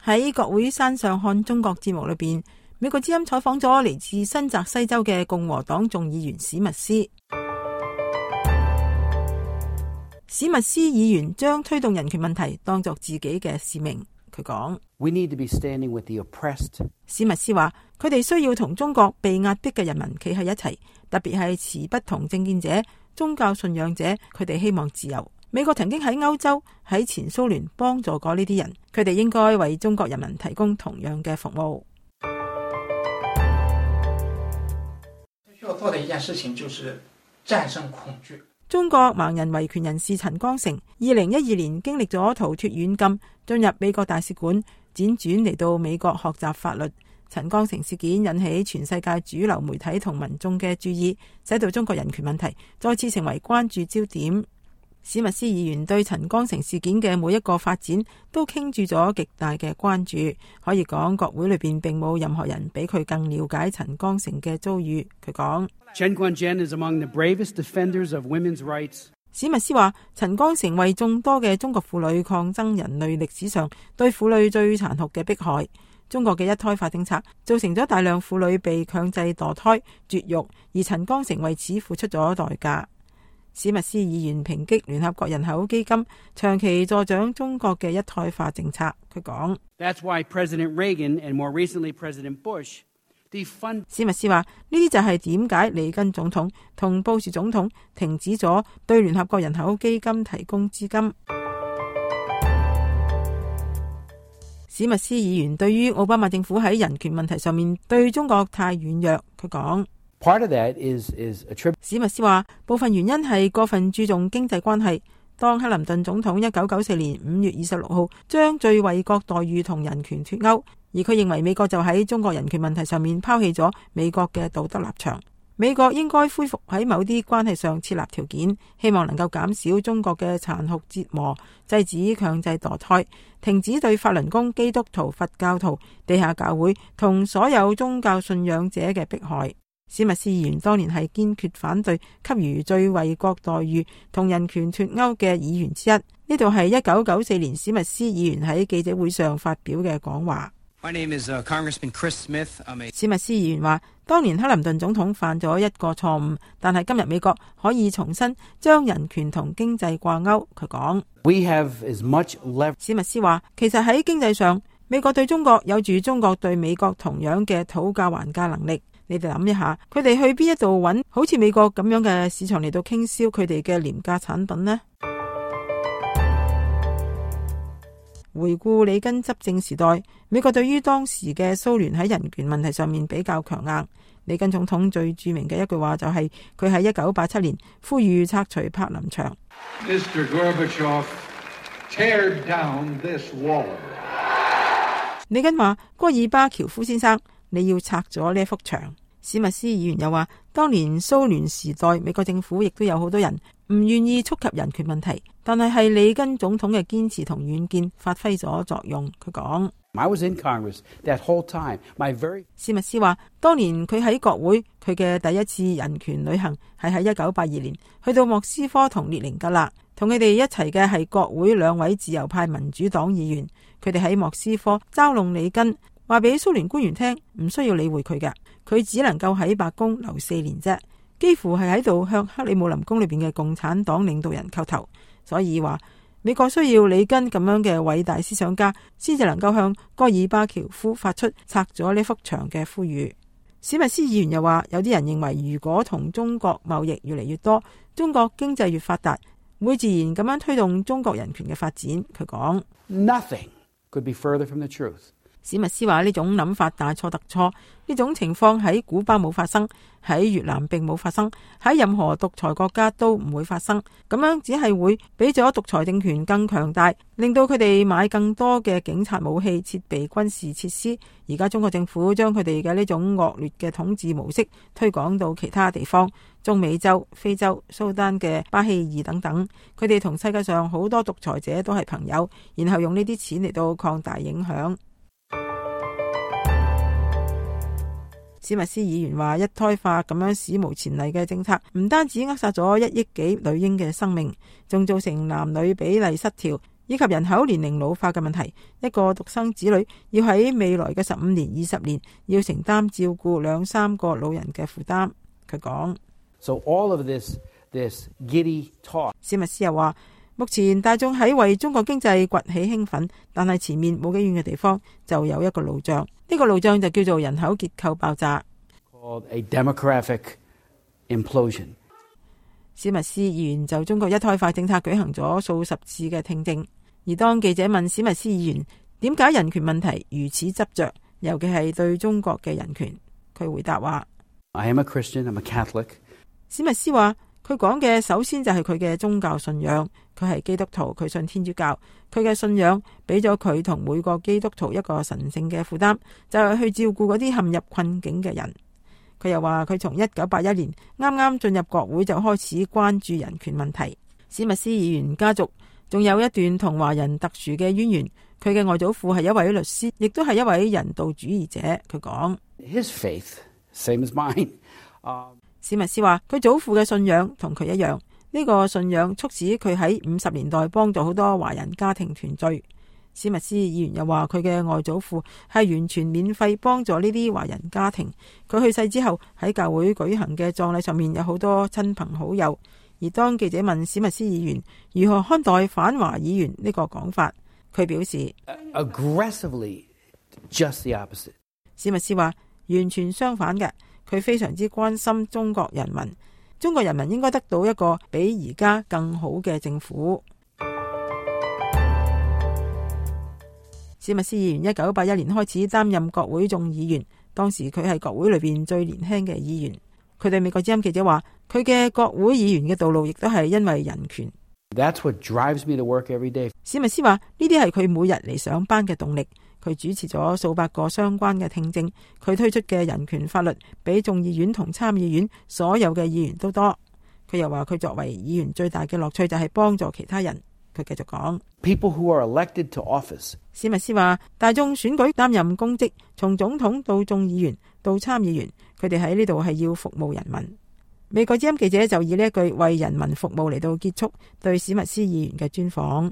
喺國會山上看中國節目裏邊，美國之音採訪咗嚟自新澤西州嘅共和黨眾議員史密斯。史密斯議員將推動人權問題當作自己嘅使命。佢講： We need to be standing with the oppressed. 史密斯話，佢哋需要同中國被壓迫嘅人民企喺一齊，特別係持不同政見者、宗教信仰者，佢哋希望自由。美國曾經喺歐洲、喺前蘇聯幫助過呢啲人，佢哋應該為中國人民提供同樣嘅服務。需要做的一件事情就是戰勝恐懼。中國盲人維權人士陳光誠2012年經歷咗逃脫軟禁，進入美國大使館，輾轉嚟到美國學習法律。陳光誠事件引起全世界主流媒體同民眾嘅注意，使到中國人權問題再次成為關注焦點。史密斯議員對陳光誠事件嘅每一個發展都傾注咗極大嘅關注，可以講國會裏邊並冇任何人比佢更了解陳光誠嘅遭遇。佢講：陳光誠 is among the bravest defenders of women's rights. 史密斯話，陳光誠為眾多嘅中國婦女抗爭人類歷史上對婦女最殘酷嘅迫害。中國嘅一胎化政策造成咗大量婦女被強制墮胎、絕育，而陳光誠為此付出咗代價。史密斯議員抨擊聯合國人口基金長期助長中國嘅一胎化政策。佢講： That's why President Reagan and more recently President Bush defund. 史密斯話，呢啲就係點解里根總統同布殊總統停止咗對聯合國人口基金提供資金。史密斯議員對於奧巴馬政府喺人權問題上面對中國太軟弱，佢講。Part of that is a trip. 史密斯話，部分原因係過分注重經濟關係。當克林頓總統1994年5月26號將最惠國待遇同人權脫鈎，而佢認為美國就喺中國人權問題上面拋棄咗美國嘅道德立場。美國應該恢復喺某啲關係上設立條件，希望能夠減少中國嘅殘酷折磨，制止強制墮胎，停止對法輪功、基督徒、佛教徒、地下教會同所有宗教信仰者嘅迫害。史密斯議員當年係堅決反對給予最惠國待遇同人權脫鈎嘅議員之一。呢度係1994年史密斯議員喺記者會上發表嘅講話。My name is Congressman Chris Smith. 史密斯議員話，當年克林頓總統犯咗一個錯誤，但係今日美國可以重新將人權同經濟掛鈎。佢講： We have as much leverage. 史密斯話，其實喺經濟上，美國對中國有住中國對美國同樣嘅討價還價能力。你哋諗一下，佢哋去邊一度揾好似美國咁樣嘅市場嚟到傾銷佢哋嘅廉價產品呢？回顧里根執政時代，美國對於當時嘅蘇聯喺人權問題上面比較強硬。里根總統最著名嘅一句話就係佢喺1987年呼籲拆除柏林牆。Mr. Gorbachev, tear down this wall. 里根話：戈爾巴喬夫先生，你要拆咗呢一幅牆。史密斯議員又話，當年蘇聯時代，美國政府亦都有好多人唔願意觸及人權問題，但係里根總統嘅堅持同遠見發揮咗作用。佢講I was in Congress that whole time. 史密斯話，當年佢喺國會，佢嘅第一次人權旅行係喺1982年去到莫斯科同列寧格勒，同佢哋一齊嘅係國會2位自由派民主黨議員。佢哋喺莫斯科嘲弄里根，話俾蘇聯官員聽唔需要理會佢嘅，佢只能夠喺白宮留4年啫，幾乎係喺度向克里姆林宮裏邊嘅共產黨領導人叩頭。所以話美國需要里根咁樣嘅偉大思想家，先至能夠向戈爾巴喬夫發出拆咗呢幅牆嘅呼籲。史密斯議員又話，有啲人認為如果同中國貿易越嚟越多，中國經濟越發達，會自然咁樣推動中國人權嘅發展。佢講 Nothing could be further from the truth. 史密斯話，呢種諗法大錯特錯，呢種情況喺古巴冇發生，喺越南並冇發生，喺任何獨裁國家都唔會發生。咁樣只係會俾咗獨裁政權更強大，令到佢哋買更多嘅警察武器、設備、軍事設施。而家中國政府將佢哋嘅呢種惡劣嘅統治模式推廣到其他地方，中美洲、非洲、蘇丹嘅巴希爾等等，佢哋同世界上好多獨裁者都係朋友，然後用呢啲錢嚟到擴大影響。史密斯議員話，一胎化咁樣史無前例嘅政策，唔單止扼殺咗1億幾女嬰嘅生命，仲造成男女比例失調，以及人口年齡老化嘅問題。一個獨生子女要喺未來嘅15年、20年要承擔照顧2-3個老人嘅負擔。佢講。So all of this giddy talk. 史密斯又話，目前大眾喺為中國經濟崛起興奮，但係前面冇幾遠嘅地方就有一個路障，呢個路障就叫做人口結構爆炸。Called a demographic implosion. 史密斯議員就中國一胎化政策舉行咗數十次嘅聽證，而當記者問史密斯議員點解人權問題如此執着，尤其係對中國嘅人權，佢回答話 I am a Christian, I'm a Catholic. 史密斯話佢講嘅首先就係佢嘅宗教信仰，佢係基督徒，佢信天主教，佢嘅信仰俾咗佢同每個基督徒一個神聖嘅負擔，就係去照顧嗰啲陷入困境嘅人。佢又話佢從1981年啱啱進入國會就開始關注人權問題。史密斯議員家族仲有一段同華人特殊嘅淵源，佢嘅外祖父係一位律師，亦都係一位人道主義者。佢講 His faith, same as mine. 史密斯話佢祖父嘅信仰同佢一樣，呢個信仰促使佢喺50年代幫助好多華人家庭團聚。史密斯議員又話佢嘅外祖父係完全免費幫助呢啲華人家庭。佢去世之後喺教會舉行嘅葬禮上面有好多親朋好友。而當記者問史密斯議員如何看待反華議員呢個講法，佢表示 aggressively just the opposite. 史密斯話完全相反嘅，佢非常之關心中國人民，中國人民應該得到一個比而家更好嘅政府。史密斯議員1981年開始擔任國會眾議員，當時佢係國會裏邊最年輕嘅議員。佢對美國之音記者話，佢嘅國會議員嘅道路亦都係因為人權。That's what drives me to work every day. 史密斯話呢啲係佢每日嚟上班嘅動力。佢主持咗數百個相關嘅聽證，佢推出嘅人權法律比眾議院同參議院所有嘅議員都多。佢又話佢作為議員最大嘅樂趣就係幫助其他人。佢繼續講 People who are elected to office. 史密斯話大眾選舉擔任公職，從總統到眾議員到參議員，佢哋喺呢度係要服務人民。美國之音記者就以呢一句為人民服務嚟到結束對史密斯議員嘅專訪。